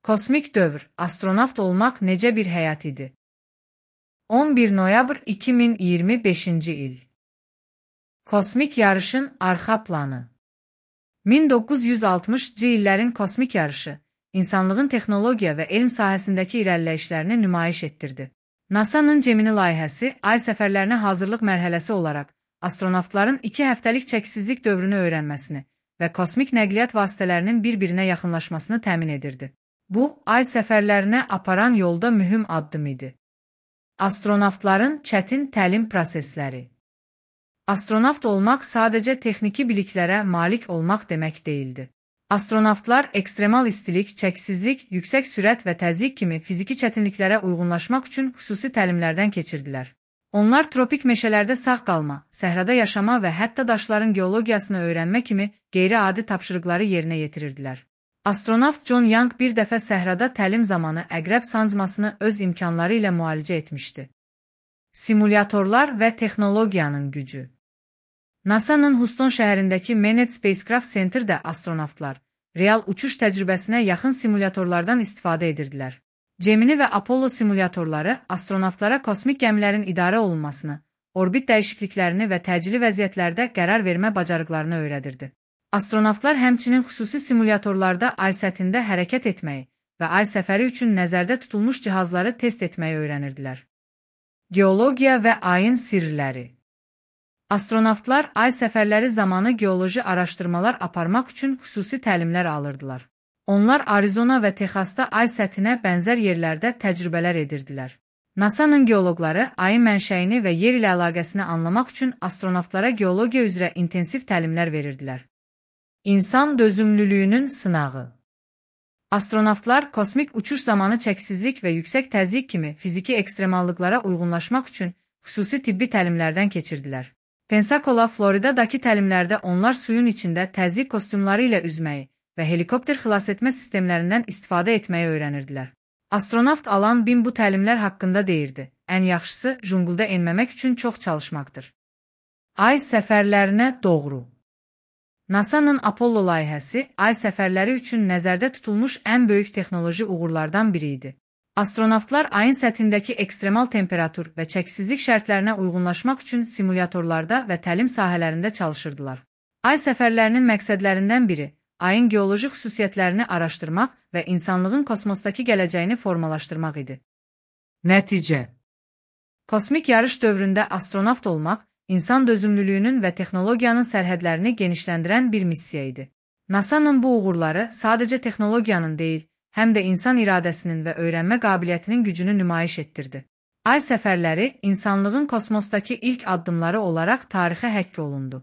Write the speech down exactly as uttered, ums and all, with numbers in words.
Kosmik dövr, astronavt olmaq necə bir həyat idi? on bir noyabr iki min iyirmi beşinci il. Kosmik yarışın arxa planı. min doqquz yüz altmışcı illərin kosmik yarışı, insanlığın texnologiya və elm sahəsindəki irəliləyişlərini nümayiş etdirdi. NASA'nın Gemini layihəsi, ay səfərlərinə hazırlıq mərhələsi olaraq, astronavtların iki həftəlik çəksizlik dövrünü öyrənməsini və kosmik nəqliyyat vasitələrinin bir-birinə yaxınlaşmasını təmin edirdi. Bu, ay səfərlərinə aparan yolda mühüm addım idi. Astronavtların çətin təlim prosesləri. Astronavt olmaq sadəcə texniki biliklərə malik olmaq demək deyildi. Astronavtlar ekstremal istilik, çəksizlik, yüksək sürət və təzyiq kimi fiziki çətinliklərə uyğunlaşmaq üçün xüsusi təlimlərdən keçirdilər. Onlar tropik meşələrdə sağ qalma, səhrada yaşama və hətta daşların geologiyasını öyrənmə kimi qeyri-adi tapşırıqları yerinə yetirirdilər. Astronavt John Young bir dəfə səhrada təlim zamanı əqrəb sancmasını öz imkanları ilə müalicə etmişdi. Simulyatorlar və texnologiyanın gücü. NASA'nın Houston şəhərindəki Manned Spacecraft Center'də astronavtlar real uçuş təcrübəsinə yaxın simulyatorlardan istifadə edirdilər. Gemini və Apollo simulyatorları astronavtlara kosmik gəmilərin idarə olunmasını, orbit dəyişikliklərini və təcili vəziyyətlərdə qərar vermə bacarıqlarını öyrədirdi. Astronavtlar həmçinin xüsusi simulyatorlarda ay səthində hərəkət etməyi və ay səfəri üçün nəzərdə tutulmuş cihazları test etməyi öyrənirdilər. Geologiya və ayın sirləri. Astronavtlar ay səfərləri zamanı geoloji araşdırmalar aparmaq üçün xüsusi təlimlər alırdılar. Onlar Arizona və Texasda ay səthinə bənzər yerlərdə təcrübələr edirdilər. NASA'nın geoloqları ayın mənşəyini və yer ilə əlaqəsini anlamaq üçün astronavtlara geologiya üzrə intensiv təlimlər verirdilər. İnsan dözümlülüyünün sınağı. Astronavtlar kosmik uçuş zamanı çəksizlik və yüksək təzyiq kimi fiziki ekstremallıqlara uyğunlaşmaq üçün xüsusi tibbi təlimlərdən keçirdilər. Pensacola, Floridadakı təlimlərdə onlar suyun içində təzyiq kostyumları ilə üzməyi və helikopter xilasetmə sistemlərindən istifadə etməyi öyrənirdilər. Astronavt Alan Bin bu təlimlər haqqında deyirdi: "Ən yaxşısı jungulda enməmək üçün çox çalışmaqdır." Ay səfərlərinə doğru. NASA'nın Apollo layihəsi, ay səfərləri üçün nəzərdə tutulmuş ən böyük texnoloji uğurlardan biri idi. Astronavtlar ayın səthindəki ekstremal temperatur və çəksizlik şərtlərinə uyğunlaşmaq üçün simulyatorlarda və təlim sahələrində çalışırdılar. Ay səfərlərinin məqsədlərindən biri, ayın geoloji xüsusiyyətlərini araşdırmaq və insanlığın kosmosdakı gələcəyini formalaşdırmaq idi. Nəticə. Kosmik yarış dövründə astronavt olmaq, insan dözümlülüyünün və texnologiyanın sərhədlərini genişləndirən bir missiya idi. NASA'nın bu uğurları sadəcə texnologiyanın deyil, həm də insan iradəsinin və öyrənmə qabiliyyətinin gücünü nümayiş etdirdi. Ay səfərləri insanlığın kosmosdakı ilk addımları olaraq tarixə həkk olundu.